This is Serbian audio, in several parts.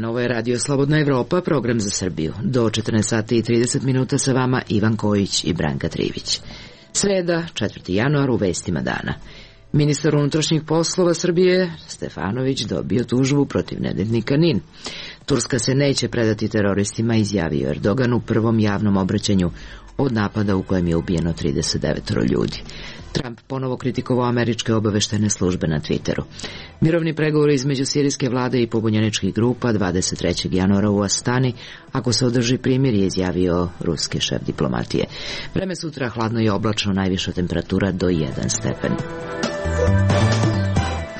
Ovo je Radio Slobodna Evropa, program za Srbiju. Do 14 sati i 30 minuta sa vama Ivan Kojić i Branka Trivić. Sreda, 4. januar, u vestima dana. Ministar unutrašnjih poslova Srbije, Stefanović, dobio tužbu protiv nedeljnika NIN. Turska se neće predati teroristima, izjavio Erdogan u prvom javnom obraćanju od napada u kojem je ubijeno 39 ljudi. Trump ponovo kritikovao američke obaveštajne službe na Twitteru. Mirovni pregovori između sirijske vlade i pobunjeničkih grupa 23. januara u Astani, ako se održi primirje, izjavio ruski šef diplomatije. Vreme sutra hladno i oblačno, najviša temperatura do 1 stepen.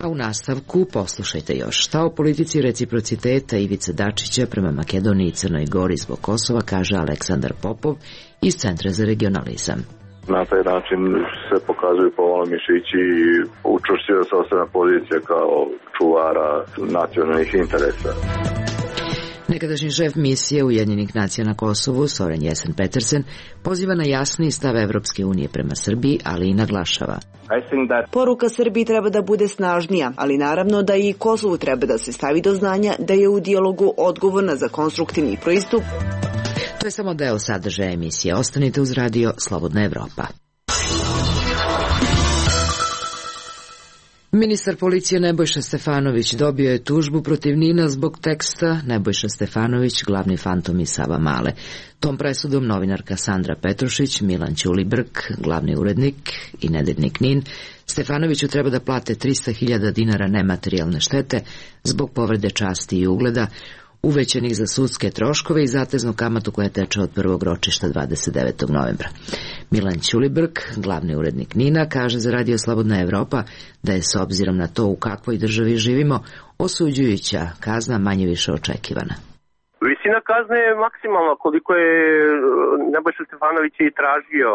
A u nastavku poslušajte još šta o politici reciprociteta Ivice Dačića prema Makedoniji i Crnoj Gori zbog Kosova, kaže Aleksandar Popov iz Centra za regionalizam. Na taj način se pokazuju povalo mišići i učvršćuje sopstvena pozicija kao čuvara nacionalnih interesa. Nekadašnji šef misije Ujedinjenih nacija na Kosovu, Soren Jessen-Petersen, poziva na jasni stav Evropske unije prema Srbiji, ali i naglašava. Poruka Srbiji treba da bude snažnija, ali naravno da i Kosovu treba da se stavi do znanja da je u dijalogu odgovorna za konstruktivni pristup. To je samo deo sadržaja emisije. Ostanite uz Radio Slobodna Evropa. Ministar policije Nebojša Stefanović dobio je tužbu protiv NIN-a zbog teksta Nebojša Stefanović, glavni fantom iz Savamale. Tom presudom novinarka Sandra Petrušić, Milan Ćulibrk, glavni urednik i nedeljnik NIN, Stefanoviću treba da plate 300.000 dinara nematerijalne štete zbog povrede časti i ugleda, uvećenih za sudske troškove i zateznu kamatu koja teče od prvog ročišta 29. novembra. Milan Ćulibrk, glavni urednik NIN-a, kaže za Radio Slobodna Evropa da je s obzirom na to u kakvoj državi živimo, osuđujuća kazna manje više očekivana. Visina kazne je maksimalna koliko je Nebojša Stefanović i tražio,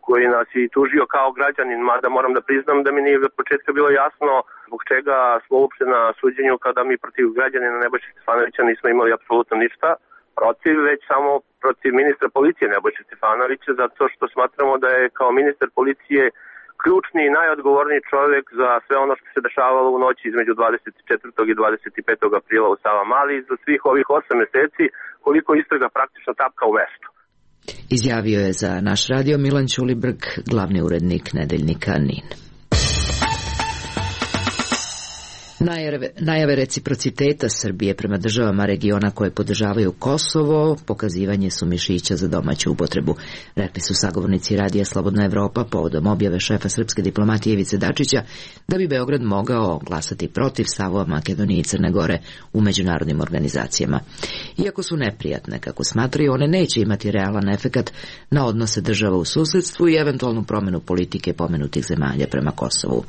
koji nas je tužio kao građanin, mada moram da priznam da mi nije od početka bilo jasno zbog čega smo uopšte na suđenju kada mi protiv građanina Nebojša Stefanovića nismo imali apsolutno ništa protiv, već samo protiv ministra policije Nebojša Stefanovića, zato što smatramo da je kao ministar policije ključni i najodgovorniji čovjek za sve ono što se dešavalo u noći između 24. i 25. aprila u Savamali za svih ovih 8 meseci koliko istraga praktično tapka u mestu. Izjavio je za naš radio Milan Ćulibrk, glavni urednik nedeljnika NIN. Najave reciprociteta Srbije prema državama regiona koje podržavaju Kosovo, pokazivanje su mišića za domaću upotrebu, rekli su sagovornici Radija Slobodna Evropa povodom objave šefa srpske diplomatije Ivice Dačića da bi Beograd mogao glasati protiv stavova Makedonije i Crne Gore u međunarodnim organizacijama. Iako su neprijatne, kako smatraju, one neće imati realan efekat na odnose država u susedstvu i eventualnu promenu politike pomenutih zemalja prema Kosovu.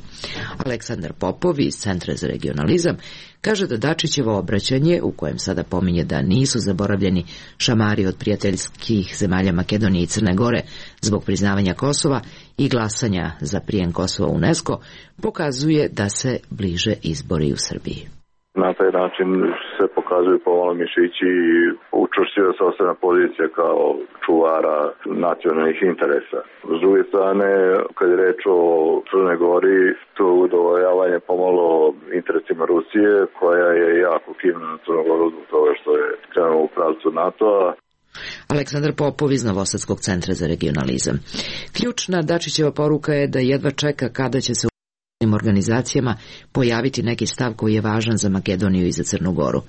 Aleksandar Popov iz Centra za regionalizam kaže da Dačićevo obraćanje, u kojem sada pominje da nisu zaboravljeni šamari od prijateljskih zemalja Makedonije i Crne Gore zbog priznavanja Kosova i glasanja za prijem Kosova u UNESCO, pokazuje da se bliže izbori u Srbiji. Na taj način se pokazuju povalo mišići i učvršćuje sopstvena pozicija kao čuvara nacionalnih interesa. S druge strane, kad je reč o Crnoj Gori, to udovoljavanje pomalo interesima Rusije, koja je jako kivna na Crnu Goru zbog toga što je krenuo u pravcu NATO-a. Aleksandar Popov iz Novosadskog centra za regionalizam. Ključna Dačićeva poruka je da jedva čeka kada će se organizacijama pojaviti neki stav koji je važan za Makedoniju i za Crnu Goru.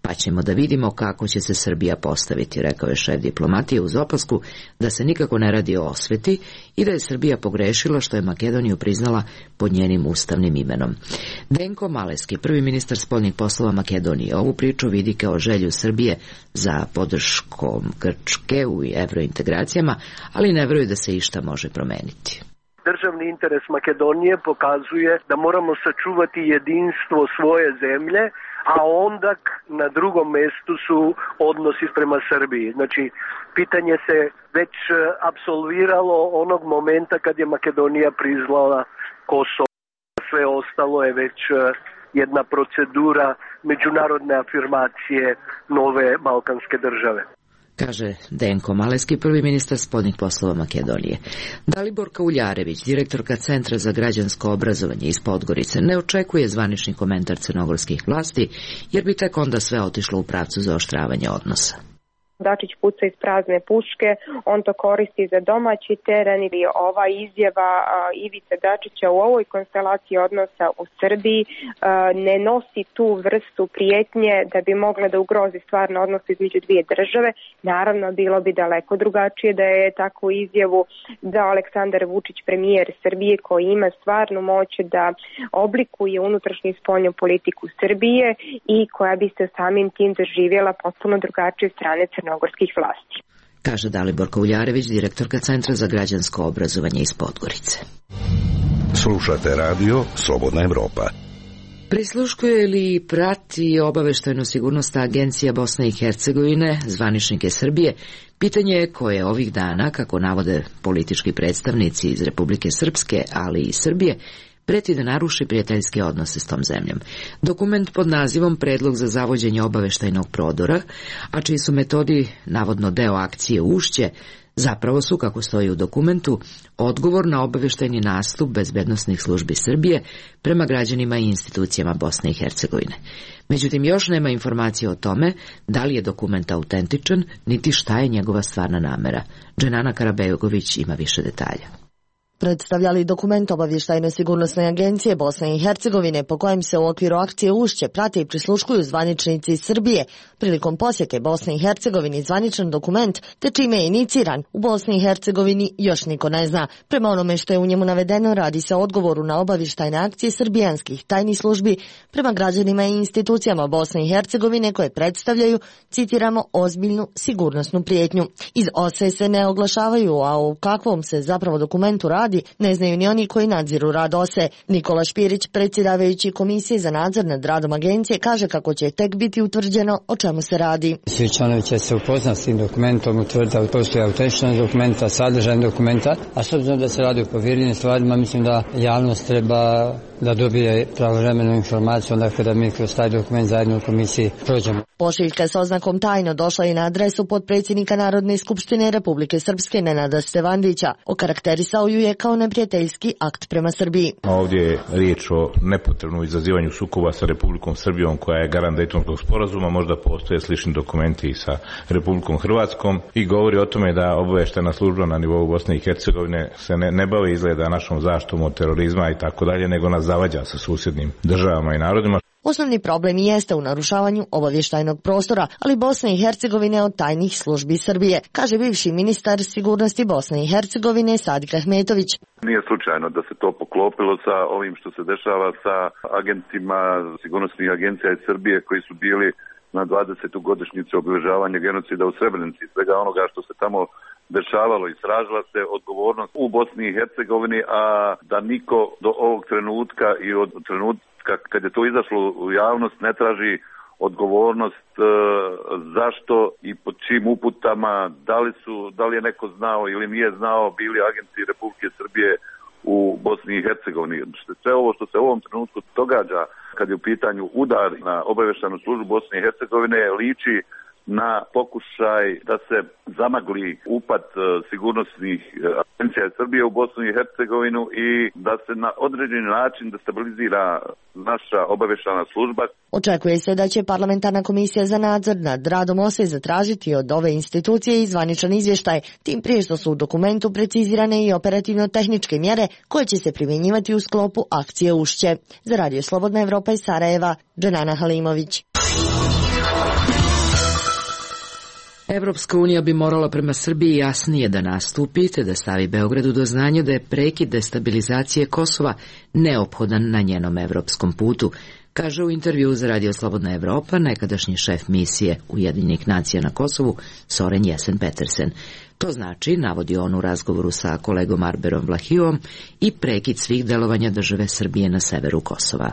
Pa ćemo da vidimo kako će se Srbija postaviti, rekao je šef diplomatije uz opasku da se nikako ne radi o osveti i da je Srbija pogrešila što je Makedoniju priznala pod njenim ustavnim imenom. Denko Maleski, prvi ministar spoljnih poslova Makedonije, ovu priču vidi kao želju Srbije za podrškom Grčke u evrointegracijama, ali ne veruje da se išta može promeniti. Državni interes Makedonije pokazuje da moramo sačuvati jedinstvo svoje zemlje, a onda na drugom mestu su odnosi prema Srbiji. Znači, pitanje se već apsolviralo onog momenta kad je Makedonija priznala Kosovo. Sve ostalo je već jedna procedura međunarodne afirmacije nove balkanske države. Kaže Denko Maleski, prvi ministar spoljnih poslova Makedonije. Dalibor Kauljarević, direktorka Centra za građansko obrazovanje iz Podgorice, ne očekuje zvanični komentar crnogorskih vlasti, jer bi tek onda sve otišlo u pravcu zaoštravanja odnosa. Dačić puca iz prazne puške, on to koristi za domaći teren ili ova izjava Ivice Dačića u ovoj konstelaciji odnosa u Srbiji ne nosi tu vrstu prijetnje da bi mogla da ugrozi stvarno odnos između dvije države. Naravno, bilo bi daleko drugačije da je takvu izjavu dao Aleksandar Vučić, premijer Srbije, koji ima stvarnu moć da oblikuje unutrašnju i spoljnu politiku Srbije i koja bi se samim tim doživjela potpuno drugačije strane crnogorskih vlasti. Kaže Dalibor Kauljarević, direktorka Centra za građansko obrazovanje iz Podgorice. Slušate radio Slobodna Evropa. Prisluškuje li prati obaveštajno-sigurnosna agencija Bosne i Hercegovine zvaničnike Srbije? Pitanje je koje ovih dana, kako navode politički predstavnici iz Republike Srpske, ali i Srbije, preti da naruši prijateljske odnose s tom zemljom. Dokument pod nazivom Predlog za zavođenje obaveštajnog prodora, a čiji su metodi navodno deo akcije Ušće, zapravo su, kako stoji u dokumentu, odgovor na obaveštajni nastup bezbednosnih službi Srbije prema građanima i institucijama Bosne i Hercegovine. Međutim, još nema informacije o tome da li je dokument autentičan, niti šta je njegova stvarna namera. Dženana Karabegović ima više detalja. Predstavljali dokument obavještajno-sigurnosne agencije Bosne i Hercegovine po kojem se u okviru akcije Ušće prate i prisluškuju zvaničnici iz Srbije. Prilikom posjete Bosne i Hercegovini zvaničan dokument, te čime je iniciran, u Bosni i Hercegovini još niko ne zna. Prema onome što je u njemu navedeno, radi se o odgovoru na obavještajne akcije srbijanskih tajnih službi prema građanima i institucijama Bosne i Hercegovine koje predstavljaju, citiramo, ozbiljnu sigurnosnu prijetnju. Iz OSE se ne oglašavaju, a u kakvom se zapravo dokumentu radi ne znaju ni oni koji nadziru rad OSE. Nikola Špirić, predsjedavajući Komisije za nadzor nad radom agencije, kaže kako će tek biti utvrđeno o čemu se radi. Svi članovi će se upoznati s tim dokumentom, utvrditi da postoji autentičnost dokumenta, sadržaj dokumenta, a s obzirom da se radi o povjerljivim stvarima, mislim da javnost treba da dobije pravovremenu informaciju onda kada mi kroz taj dokument zajedno u komisiji prođemo. Pošiljka s oznakom tajno došla i na adresu potpredsjednika Narodne skupštine Republike Srpske Nenada Stevandića. Okarakterisao ju je kao neprijateljski akt prema Srbiji. Ovdje je riječ o nepotrebnom izazivanju sukoba sa Republikom Srbijom koja je garant Dejtonskog sporazuma, možda postoje slični dokumenti i sa Republikom Hrvatskom i govori o tome da obavještajna služba na nivou Bosne i Hercegovine se ne bavi izgleda našom zaštitom od terorizma i tako dalje, nego nas zavađa sa susjednim državama i narodima. Osnovni problem jeste u narušavanju obavještajnog prostora, ali Bosne i Hercegovine od tajnih službi Srbije, kaže bivši ministar sigurnosti Bosne i Hercegovine Sadik Ahmetović. Nije slučajno da se to poklopilo sa ovim što se dešava sa agentima sigurnosnih agencija iz Srbije koji su bili na 20. godišnjicu obilježavanja genocida u Srebrenici, svega onoga što se tamo dešavalo i tražila se odgovornost u Bosni i Hercegovini, a da niko do ovog trenutka i od trenutka kad je to izašlo u javnost ne traži odgovornost zašto i pod čim uputama, da li je neko znao ili nije znao, bili agenti Republike Srbije u Bosni i Hercegovini. Sve ovo što se u ovom trenutku događa kad je u pitanju udar na obavještajnu službu Bosne i Hercegovine liči na pokušaj da se zamagli upad sigurnosnih agencija Srbije u Bosnu i Hercegovinu i da se na određeni način destabilizira naša obavještajna služba. Očekuje se da će parlamentarna komisija za nadzor nad radom OSE zatražiti od ove institucije i zvaničan izvještaj, tim prije što su u dokumentu precizirane i operativno-tehničke mjere koje će se primjenjivati u sklopu akcije Ušće. Za Radio Slobodna Evropa iz Sarajeva, Dženana Halimović. Evropska unija bi morala prema Srbiji jasnije da nastupi te da stavi Beogradu do znanja da je prekid destabilizacije Kosova neophodan na njenom evropskom putu, kaže u intervju za Radio Slobodna Evropa nekadašnji šef misije Ujedinjenih nacija na Kosovu Soren Jesen-Petersen. To znači, navodi on u razgovoru sa kolegom Arberom Vlahijom, i prekid svih delovanja države Srbije na severu Kosova.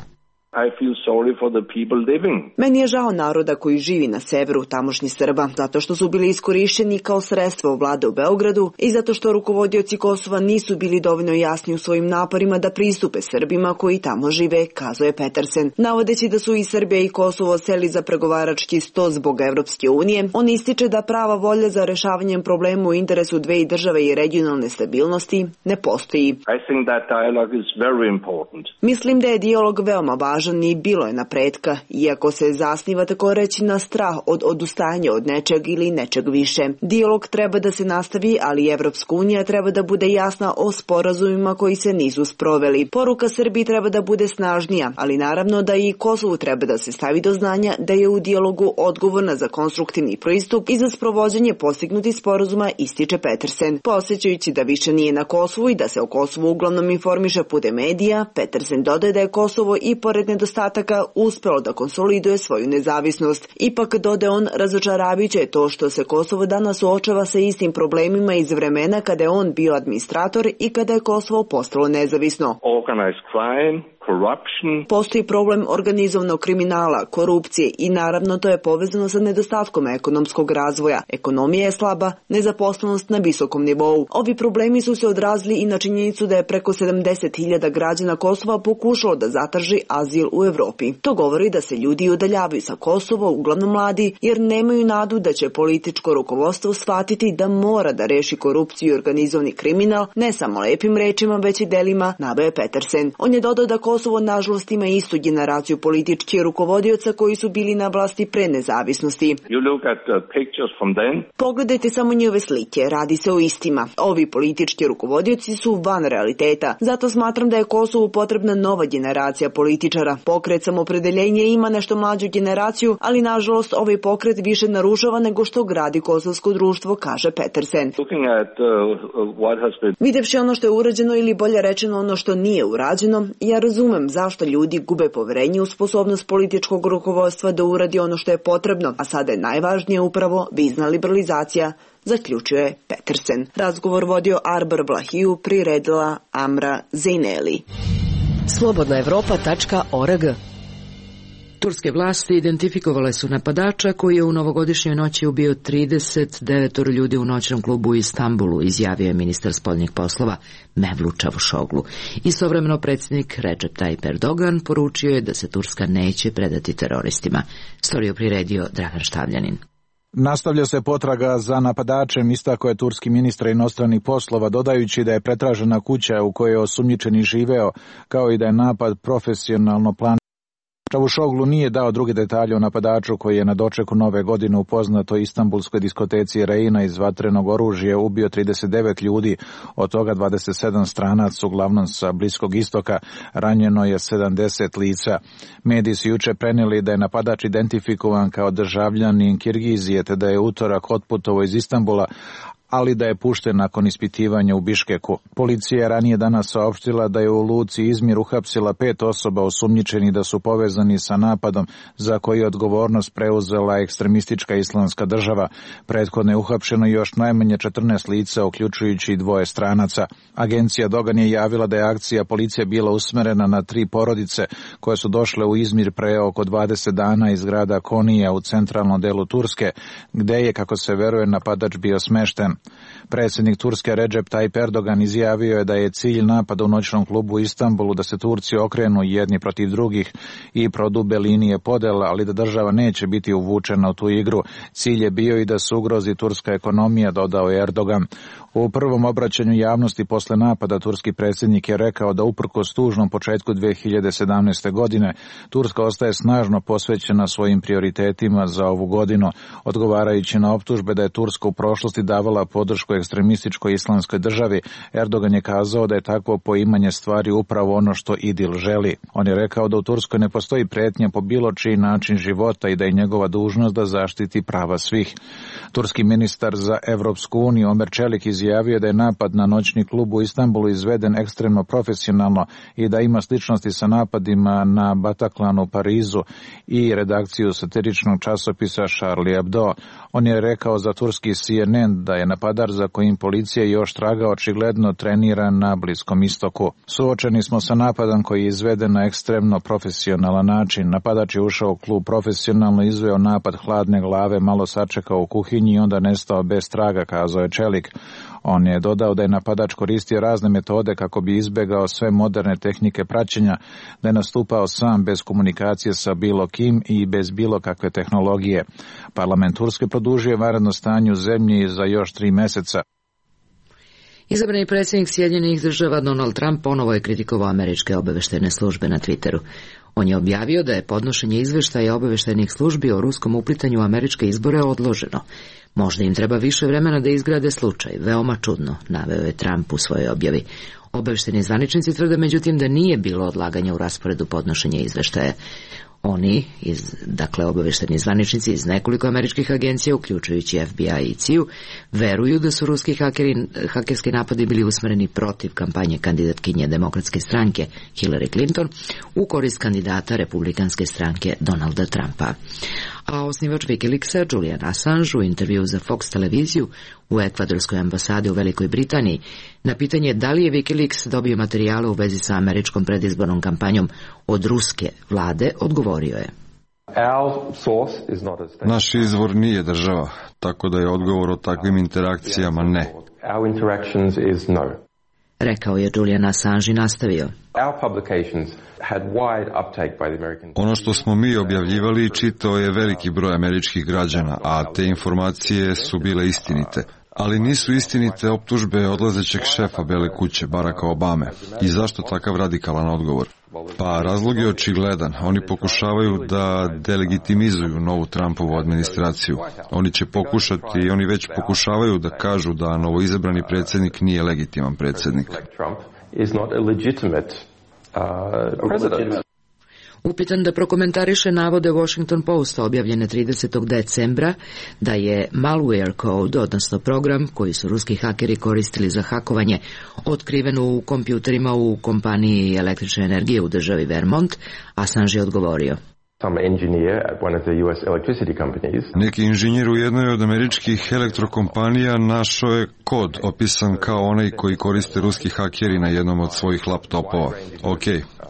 I feel sorry for the people living. Meni je žao naroda koji živi na severu tamošnjih Srba, zato što su bili iskorišćeni kao sredstvo vlade u Beogradu i zato što rukovodioci Kosova nisu bili dovoljno jasni u svojim naporima da pristupe Srbima koji tamo žive, kazuje Petersen. Navodeći da su i Srbija i Kosovo seli za pregovarački sto zbog Evropske unije, on ističe da prava volja za rešavanjem problema u interesu dve države i regionalne stabilnosti ne postoji. I think that dialogue is very important. Mislim da je dijalog veoma važan i bilo je napretka, iako se zasniva tako reći na strah od odustajanja od nečeg ili nečeg više. Dijalog treba da se nastavi, ali Evropska unija treba da bude jasna o sporazumima koji se nisu sproveli. Poruka Srbiji treba da bude snažnija, ali naravno da i Kosovu treba da se stavi do znanja da je u dijalogu odgovorna za konstruktivni pristup i za sprovođenje postignutih sporazuma, ističe Petersen. Podsjećajući da više nije na Kosovu i da se o Kosovu uglavnom informiše putem medija, Petersen dodaje da je Kosovo i pored nedostataka uspelo da konsoliduje svoju nezavisnost. Ipak, dodaje on, razočaravajuće je to što se Kosovo danas suočava sa istim problemima iz vremena kada je on bio administrator i kada je Kosovo postalo nezavisno. Organized crime, corruption. Postoji problem organizovanog kriminala, korupcije i naravno to je povezano sa nedostatkom ekonomskog razvoja. Ekonomija je slaba, nezaposlenost na visokom nivou. Ovi problemi su se odrazili i na činjenicu da je preko 70.000 građana Kosova pokušalo da zatraži azil u Evropi. To govori da se ljudi udaljavaju sa Kosova, uglavnom mladi, jer nemaju nadu da će političko rukovodstvo shvatiti da mora da reši korupciju i organizovani kriminal, ne samo lepim rečima, već i delima, naveo Petersen. On je dodao da Kosovo nažalost ima istu generaciju političkih rukovodioca koji su bili na vlasti pre nezavisnosti. Pogledajte samo njihove slike, radi se o istima. Ovi politički rukovodioci su van realiteta. Zato smatram da je Kosovu potrebna nova generacija političara. Pokret Samoopredeljenje ima nešto mlađu generaciju, ali nažalost ovaj pokret više narušava nego što gradi kosovsko društvo, kaže Petersen. Videvši ono što je urađeno ili bolje rečeno ono što nije urađeno, ja razumem zašto ljudi gube poverenje u sposobnost političkog rukovodstva da uradi ono što je potrebno, a sada je najvažnije upravo vizna liberalizacija, zaključuje Petersen. Razgovor vodio Arbar Vlahiju, priredila Amra Zejneli. Slobodnaevropa.org. Turske vlasti identifikovale su napadača koji je u novogodišnjoj noći ubio 39 ljudi u noćnom klubu u Istanbulu, izjavio je ministar spoljnih poslova Mevlut Čavuşoglu. Istovremeno predsjednik Recep Tayyip Erdogan poručio je da se Turska neće predati teroristima. Storiju priredio Dragan Štavljanin. Nastavlja se potraga za napadačem, istakao je turski ministar inostranih poslova, dodajući da je pretražena kuća u kojoj je osumnjičeni živeo, kao i da je napad profesionalno planiran. Čavuşoglu nije dao druge detalje o napadaču koji je na dočeku nove godine u poznatoj istanbulskoj diskoteci Reina iz vatrenog oružja ubio 39 ljudi, od toga 27 stranaca, uglavnom sa Bliskog istoka, ranjeno je 70 lica. Mediji su juče prenijeli da je napadač identifikovan kao državljanin Kirgizije, te da je utorak otputovao iz Istanbula, ali da je pušten nakon ispitivanja u Biškeku. Policija je ranije danas saopštila da je u luci Izmir uhapsila 5 osoba osumnjičenih da su povezani sa napadom za koji je odgovornost preuzela ekstremistička islamska država. Prethodno je uhapšeno još najmanje 14 lica, uključujući i 2 stranaca. Agencija Dogan je javila da je akcija policije bila usmerena na 3 porodice koje su došle u Izmir pre oko 20 dana iz grada Konija u centralnom delu Turske, gde je, kako se veruje, napadač bio smešten. Predsjednik Turske Recep Tayyip Erdogan izjavio je da je cilj napada u noćnom klubu u Istanbulu da se Turci okrenu jedni protiv drugih i prodube linije podela, ali da država neće biti uvučena u tu igru. Cilj je bio i da se ugrozi turska ekonomija, dodao je Erdogan. U prvom obraćanju javnosti posle napada turski predsjednik je rekao da uprkos tužnom početku 2017. godine Turska ostaje snažno posvećena svojim prioritetima za ovu godinu, odgovarajući na optužbe da je Turska u prošlosti davala podršku ekstremističkoj islamskoj državi. Erdogan je kazao da je takvo poimanje stvari upravo ono što IDIL želi. On je rekao da u Turskoj ne postoji pretnja po bilo čiji način života i da je njegova dužnost da zaštiti prava svih. Turski ministar za Evropsku uniju Omer Čelik izjavio da je napad na noćni klub u Istanbulu izveden ekstremno profesionalno i da ima sličnosti sa napadima na Bataclanu u Parizu i redakciju satiričnog časopisa Charlie Hebdo. On je rekao za turski CNN da je napadač za kojim policija još traga očigledno trenira na Bliskom istoku. Suočeni smo sa napadom koji je izveden na ekstremno profesionalan način. Napadač je ušao u klub profesionalno, izveo napad hladne glave, malo sačekao u kuhinji i onda nestao bez traga, kazao je čelik. On je dodao da je napadač koristio razne metode kako bi izbegao sve moderne tehnike praćenja, da je nastupao sam bez komunikacije sa bilo kim i bez bilo kakve tehnologije. Parlament Turske produžio vanredno stanje u zemlji za još 3 meseca. Izabrani predsjednik Sjedinjenih Država Donald Trump ponovo je kritikovao američke obavještajne službe na Twitteru. On je objavio da je podnošenje izveštaja obavještajnih službi o ruskom uplitanju u američke izbore odloženo. Možda im treba više vremena da izgrade slučaj, veoma čudno, naveo je Trump u svojoj objavi. Obavještajni zvaničnici tvrde međutim da nije bilo odlaganja u rasporedu podnošenja izveštaja. Oni, obavještajni zvaničnici iz nekoliko američkih agencija, uključujući FBI i CIA, veruju da su ruski hakerski napadi bili usmereni protiv kampanje kandidatkinje Demokratske stranke Hillary Clinton u korist kandidata Republikanske stranke Donalda Trumpa. A osnivač Wikileaksa Julian Assange u intervju za Fox televiziju u ekvadorskoj ambasadi u Velikoj Britaniji na pitanje da li je Wikileaks dobio materijale u vezi sa američkom predizbornom kampanjom od ruske vlade, odgovorio je: Naš izvor nije država, tako da je odgovor o takvim interakcijama ne. Rekao je Julian Assange i nastavio: Ono što smo mi objavljivali čitao je veliki broj američkih građana, a te informacije su bile istinite. Ali nisu istinite optužbe odlazećeg šefa Bele kuće, Baracka Obame. I zašto takav radikalan odgovor? Pa razlog je očigledan. Oni pokušavaju da delegitimizuju novu Trumpovu administraciju. Oni će pokušati i oni već pokušavaju da kažu da novoizabrani predsjednik nije legitiman predsjednik. Upitan da prokomentariše navode Washington Posta objavljene 30. decembra da je malware code, odnosno program koji su ruski hakeri koristili za hakovanje, otkriven u kompjuterima u kompaniji električne energije u državi Vermont, Assange je odgovorio: Neki inženjer u jednoj od američkih elektrokompanija našao je kod opisan kao onaj koji koriste ruski hakeri na jednom od svojih laptopova.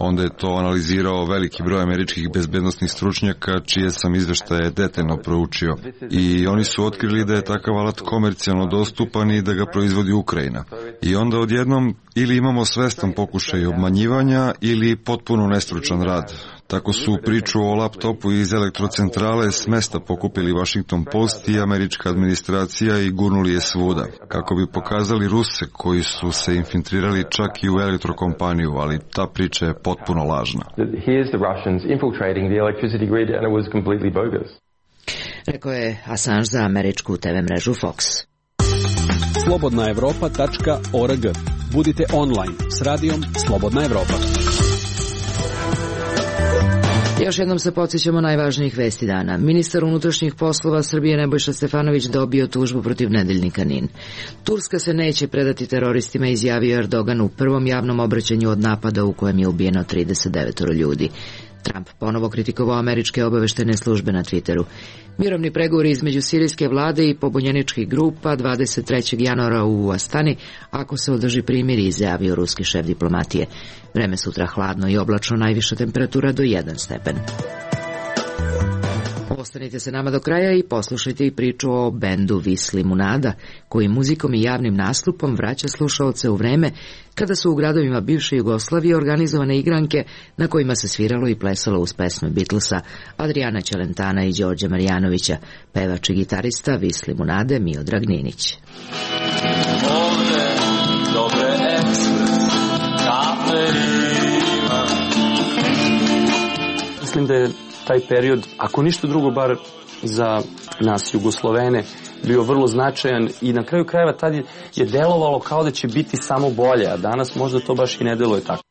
Onda je to analizirao veliki broj američkih bezbednosnih stručnjaka čije sam izveštaje detaljno proučio. I oni su otkrili da je takav alat komercijalno dostupan i da ga proizvodi Ukrajina. I onda odjednom ili imamo svestan pokušaj obmanjivanja ili potpuno nestručan rad. Tako su priču o laptopu iz elektrocentrale s mesta pokupili Washington Post i američka administracija i gurnuli je svuda, kako bi pokazali Ruse koji su se infiltrirali čak i u elektrokompaniju, ali ta priča je potpuno lažna. Rekao je Assange za američku TV mrežu Fox. slobodnaevropa.org. Budite online s radijom Slobodna Evropa. Još jednom se podsjećamo najvažnijih vesti dana. Ministar unutrašnjih poslova Srbije Nebojša Stefanović dobio tužbu protiv nedeljnika NIN. Turska se neće predati teroristima, izjavio Erdogan u prvom javnom obraćanju od napada u kojem je ubijeno 39 ljudi. Trump ponovo kritikovao američke obavještajne službe na Twitteru. Mirovni pregovori između sirijske vlade i pobunjeničkih grupa 23. januara u Astani, ako se održi primirje, izjavio ruski šef diplomatije. Vreme sutra hladno i oblačno, najviša temperatura do 1 stepen. Ostanite se nama do kraja i poslušajte i priču o bendu Vis Limunada, koji muzikom i javnim nastupom vraća slušaoce u vreme kada su u gradovima bivše Jugoslavije organizovane igranke na kojima se sviralo i plesalo uz pesme Beatlesa, Adriana Ćelentana i Đorđa Marjanovića, pevač i gitarista Vis Limunade Miodrag Ninić. Ovde dobre ekspres, kaperima. Mislim da je taj period, ako ništa drugo, bar za nas Jugoslovene, bio vrlo značajan i na kraju krajeva tad je delovalo kao da će biti samo bolje, a danas možda to baš i ne deluje tako.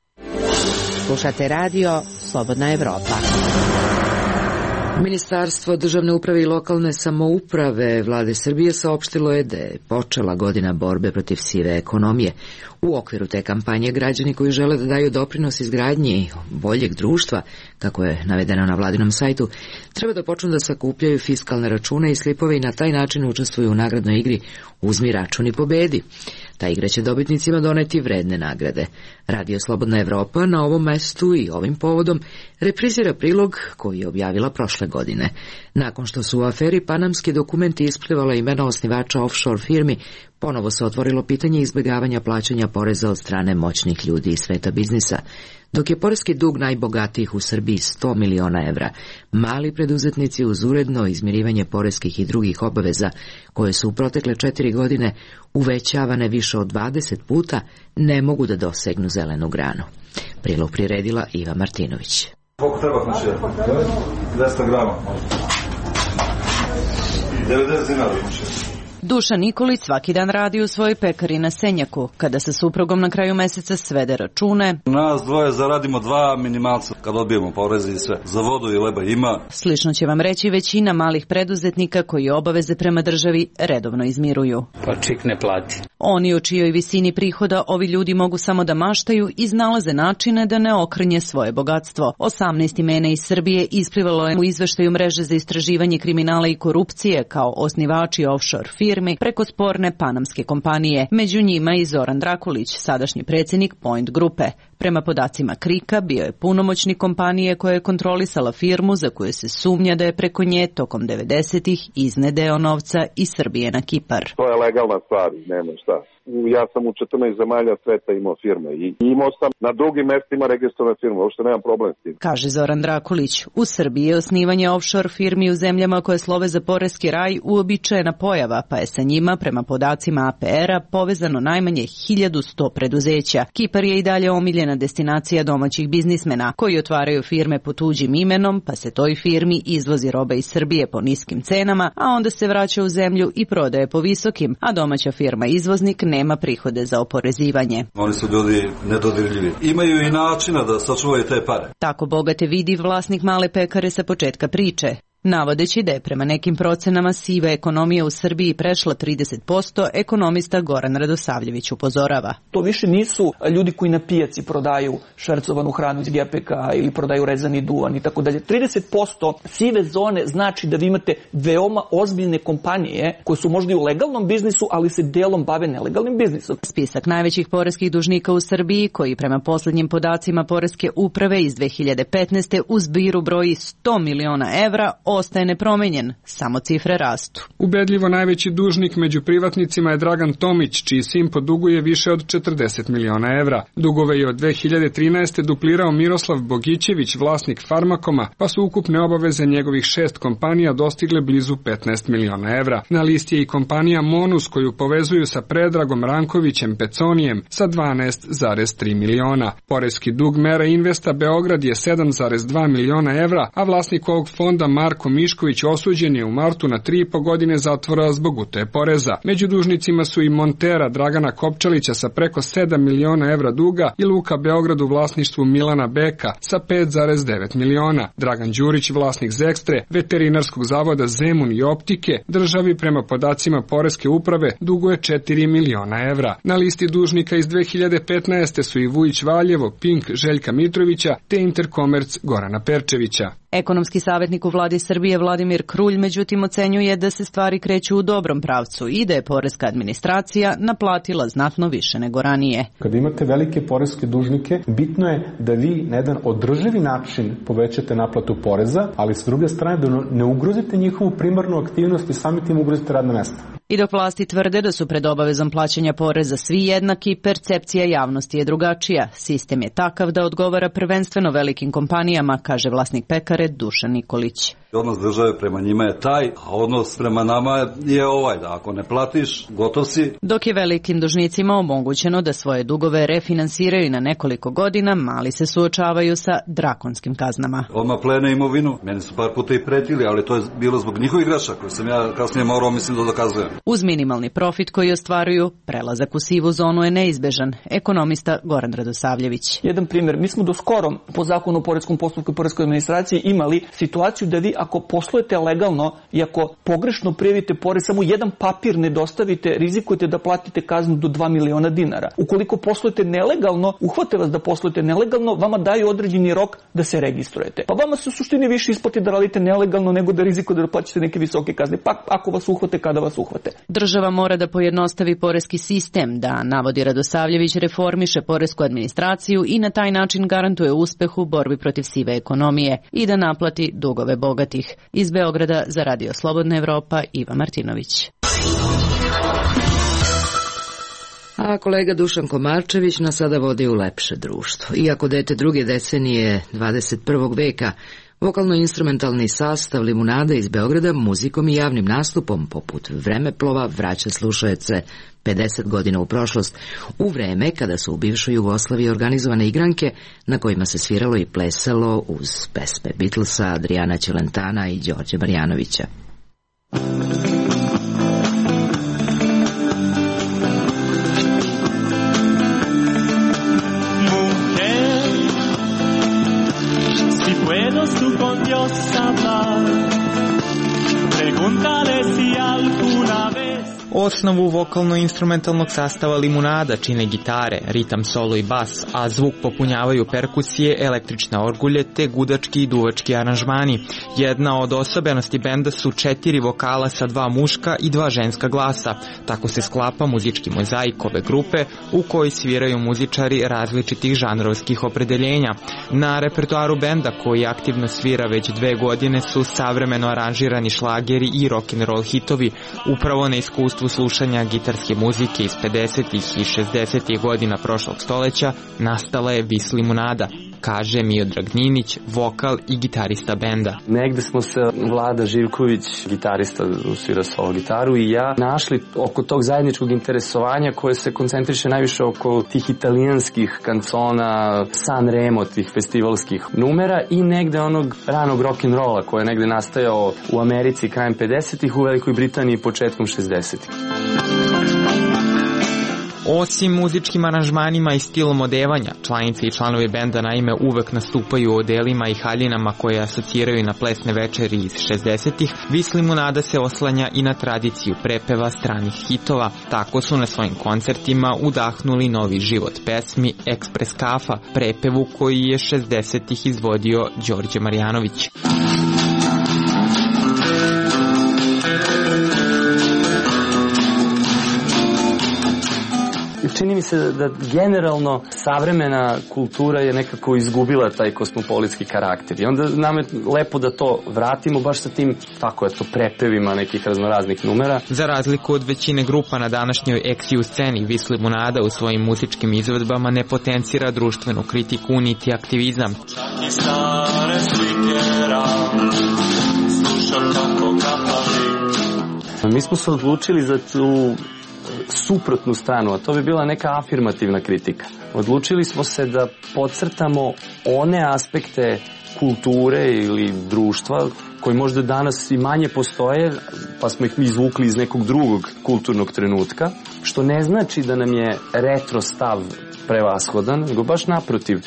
Slušate radio Slobodna Evropa. Ministarstvo državne uprave i lokalne samouprave Vlade Srbije saopštilo je da je počela godina borbe protiv sive ekonomije. U okviru te kampanje građani koji žele da daju doprinos izgradnji boljeg društva, kako je navedeno na vladinom sajtu, treba da počnu da sakupljaju fiskalne račune i slipove i na taj način učestvuju u nagradnoj igri Uzmi račun i pobedi. Ta igra će dobitnicima doneti vredne nagrade. Radio Slobodna Evropa na ovom mestu i ovim povodom reprizira prilog koji je objavila prošle godine. Nakon što su u aferi Panamski dokumenti isplivala imena osnivača offshore firmi, ponovo se otvorilo pitanje izbjegavanja plaćanja poreza od strane moćnih ljudi iz sveta biznisa. Dok je poreski dug najbogatijih u Srbiji 100 miliona evra, mali preduzetnici uz uredno izmirivanje poreskih i drugih obaveza, koje su u protekle 4 godine uvećavane više od 20 puta, ne mogu da dosegnu zelenu granu. Prilog priredila Iva Martinović. Koliko treba znači? 200 grama. 90 dinara znači. Dušan Nikolić svaki dan radi u svojoj pekari na Senjaku. Kada sa suprugom na kraju meseca svede račune, nas dvoje zaradimo 2 minimalca kad odbijemo poreze i sve. Za vodu i leba ima. Slično će vam reći većina malih preduzetnika koji obaveze prema državi redovno izmiruju. Pa čik ne plati. Oni o čijoj visini prihoda ovi ljudi mogu samo da maštaju i iznalaze načine da ne okrnje svoje bogatstvo. 18 imena iz Srbije isplivalo je u izveštaju mreže za istraživanje kriminala i korupcije kao osnivači offshore firmi preko sporne panamske kompanije. Među njima i Zoran Drakulić, sadašnji predsjednik Point grupe. Prema podacima Krika, bio je punomoćnik kompanije koja je kontrolisala firmu za koju se sumnja da je preko nje tokom 90-ih iznedeo novca iz Srbije na Kipar. To je legalna stvar, nema šta. Ja sam u 14 zemalja sveta imao firme i imao sam na drugim mestima registrovane firme, uopšte nemam problem s tim. Kaže Zoran Drakulić, u Srbiji je osnivanje offshore firmi u zemljama koje slove za poreski raj uobičajena pojava, pa je sa njima, prema podacima APR-a, povezano najmanje 1100 preduzeća. Kipar je i dalje omiljena destinacija domaćih biznismena, koji otvaraju firme pod tuđim imenom, pa se toj firmi izvozi roba iz Srbije po niskim cenama, a onda se vraća u zemlju i prodaje po visokim, a domaća firma izvoznik nema prihode za oporezivanje. Oni su ljudi nedodirljivi. Imaju i načina da sačuvaju te pare. Tako bogate vidi vlasnik male pekare sa početka priče. Navodeći da je prema nekim procenama siva ekonomija u Srbiji prešla 30%, ekonomista Goran Radosavljević upozorava. To više nisu ljudi koji na pijaci prodaju švercovanu hranu iz gepeka ili prodaju rezani duvan i tako dalje. 30% sive zone znači da vi imate veoma ozbiljne kompanije koje su možda i u legalnom biznisu, ali se delom bave nelegalnim biznisom. Spisak najvećih poreskih dužnika u Srbiji, koji prema posljednjim podacima poreske uprave iz 2015. u zbiru broji 100 miliona evra, ostaje nepromenjen, samo cifre rastu. Ubedljivo najveći dužnik među privatnicima je Dragan Tomić, čiji sin poduguje više od 40 miliona evra. Dugove je od 2013. duplirao Miroslav Bogićević, vlasnik Farmakoma, pa su ukupne obaveze njegovih 6 kompanija dostigle blizu 15 miliona evra. Na listi je i kompanija Monus, koju povezuju sa Predragom Rankovićem Peconijem sa 12,3 miliona. Poreski dug Mera Investa Beograd je 7,2 miliona evra, a vlasnik ovog fonda Marko Mišković osuđen je u martu na 3,5 godine zatvora zbog utaje poreza. Među dužnicima su i Montera Dragana Kopčalića sa preko 7 miliona evra duga i Luka Beograd u vlasništvu Milana Beka sa 5,9 miliona. Dragan Đurić, vlasnik Zekstre, veterinarskog zavoda Zemun i Optike, državi prema podacima poreske uprave duguje 4 miliona evra. Na listi dužnika iz 2015. su i Vujić Valjevo, Pink Željka Mitrovića te Interkomerc Gorana Perčevića. Ekonomski savjetnik u vladi Srbije Vladimir Krulj međutim ocenjuje da se stvari kreću u dobrom pravcu i da je poreska administracija naplatila znatno više nego ranije. Kada imate velike poreske dužnike, bitno je da vi na jedan održivi način povećate naplatu poreza, ali s druge strane da ne ugrozite njihovu primarnu aktivnost i sami tim ugrozite radna mesta. I dok vlasti tvrde da su pred obavezom plaćanja poreza svi jednaki, percepcija javnosti je drugačija. Sistem je takav da odgovara prvenstveno velikim kompanijama, kaže vlasnik pekare Dušan Nikolić. Odnos države prema njima je taj, a odnos prema nama je ovaj, da ako ne platiš, gotov si. Dok je velikim dužnicima omogućeno da svoje dugove refinansiraju na nekoliko godina, mali se suočavaju sa drakonskim kaznama. Odmah plene imovinu, meni su par puta i pretili, ali to je bilo zbog njihovih grešaka koje sam ja kasnije morao, mislim, da dokazujem. Uz minimalni profit koji ostvaruju, prelazak u sivu zonu je neizbežan, ekonomista Goran Radosavljević. Jedan primjer, mi smo do skoro po zakonu o poreskom postupku i poreskoj administraciji imali situaciju da vi ako poslujete legalno i ako pogrešno prijavite porez, samo jedan papir ne dostavite, rizikujete da platite kaznu do 2 miliona dinara. Ukoliko poslujete nelegalno, uhvate vas da poslujete nelegalno, vama daju određeni rok da se registrujete. Pa vama se u suštini više isplati da radite nelegalno nego da rizikujete da plaćate neke visoke kazne. Pa ako vas uhvate, kada vas uhvate. Država mora da pojednostavi poreski sistem, da, navodi Radosavljević, reformiše poresku administraciju i na taj način garantuje uspeh u borbi protiv sive ekonomije i da naplati dugove bogatih. Iz Beograda za Radio Slobodna Evropa, Iva Martinović. A kolega Dušan Komarčević nas sada vodi u lepše društvo. Iako dete druge decenije 21. veka, vokalno-instrumentalni sastav Limunada iz Beograda muzikom i javnim nastupom poput Vremeplova vraća slušaoce 50 godina u prošlost, u vreme kada su u bivšoj Jugoslaviji organizovane igranke na kojima se sviralo i plesalo uz pesme Beatlesa, Adriana Ćelentana i Đorđe Marjanovića. Osnovu vokalno-instrumentalnog sastava Limunada čine gitare, ritam, solo i bas, a zvuk popunjavaju perkusije, električne orgulje te gudački i duvački aranžmani. Jedna od osobenosti benda su 4 vokala sa 2 muška i 2 ženska glasa. Tako se sklapa muzički mozaik ove grupe u kojoj sviraju muzičari različitih žanrovskih opredeljenja. Na repertoaru benda, koji aktivno svira već 2 godine, su savremeno aranžirani šlageri i rock'n'roll hitovi. Upravo na iskustvu slušanja gitarske muzike iz 50. i 60. godina prošlog stoleća nastala je Vis Limunada, kaže Miodrag Ninić, vokal i gitarista benda. Negde smo se Vlada Živković, gitarista, svira solo gitaru, i ja našli oko tog zajedničkog interesovanja koje se koncentriše najviše oko tih italijanskih kancona, San Remo, tih festivalskih numera i negde onog ranog rock'n'rolla koji je negde nastajao u Americi krajem 50-ih, u Velikoj Britaniji početkom 60-ih. Osim muzičkim aranžmanima i stilom odevanja, članice i članovi benda naime uvek nastupaju u odelima i haljinama koje asociraju na plesne večeri iz 60-ih, Vis Limunada se oslanja i na tradiciju prepeva stranih hitova. Tako su na svojim koncertima udahnuli novi život pesmi Ekspres kafa, prepevu koji je 60-ih izvodio Đorđe Marjanović. Čini mi se da generalno savremena kultura je nekako izgubila taj kosmopolitski karakter i onda nam je lepo da to vratimo baš sa tim, tako je to, prepevima nekih raznoraznih numera. Za razliku od većine grupa na današnjoj XU sceni, Vis Limunada u svojim muzičkim izvedbama ne potencira društvenu kritiku niti aktivizam. Mi smo se odlučili za tu suprotnu stranu, a to bi bila neka afirmativna kritika. Odlučili smo se da podcrtamo one aspekte kulture ili društva koji možda danas i manje postoje, pa smo ih izvukli iz nekog drugog kulturnog trenutka, što ne znači da nam je retro stav prevashodan, nego baš naprotiv.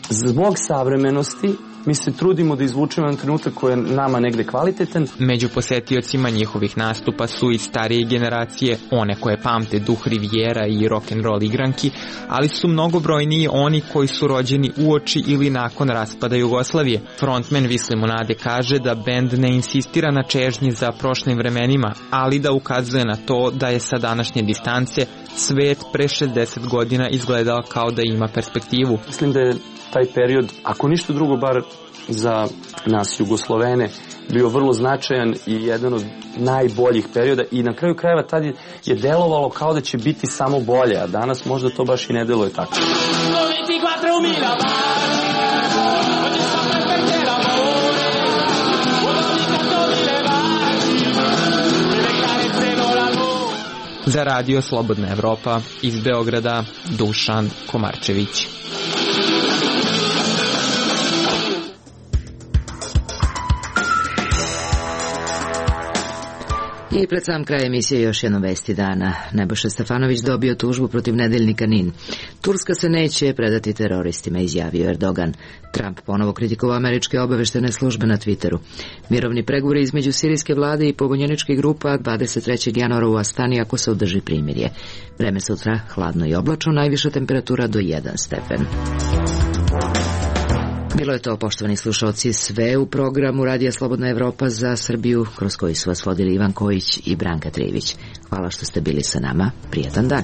Zbog savremenosti mi se trudimo da izvučemo jedan trenutak koji je nama negde kvalitetan. Među posetiocima njihovih nastupa su i starije generacije, one koje pamte duh Rivijera i rock'n'roll igranki, ali su mnogobrojniji oni koji su rođeni uoči ili nakon raspada Jugoslavije. Frontman Vis Limunade kaže da bend ne insistira na čežnji za prošlim vremenima, ali da ukazuje na to da je sa današnje distance svet pre 60 godina izgledao kao da ima perspektivu. Mislim da je taj period, ako ništa drugo, bar za nas Jugoslovene, bio vrlo značajan i jedan od najboljih perioda i na kraju krajeva tad je delovalo kao da će biti samo bolje, a danas možda to baš i ne deluje tako. Za Radio Slobodna Evropa iz Beograda, Dušan Komarčević. I pred sam kraj emisije još jedno vesti dana. Nebojša Stefanović dobio tužbu protiv nedeljnika NIN. Turska se neće predati teroristima, izjavio Erdogan. Trump ponovo kritikovao američke obaveštene službe na Twitteru. Mirovni pregovori između sirijske vlade i pobunjeničkih grupa 23. januara u Astani ako se održi primirje. Vreme sutra hladno i oblačno, najviša temperatura do 1 stepen. Bilo je to, poštovani slušalci, sve u programu Radija Slobodna Evropa za Srbiju, kroz koji su vas vodili Ivan Kojić i Branka Trivić. Hvala što ste bili sa nama. Prijatan dan.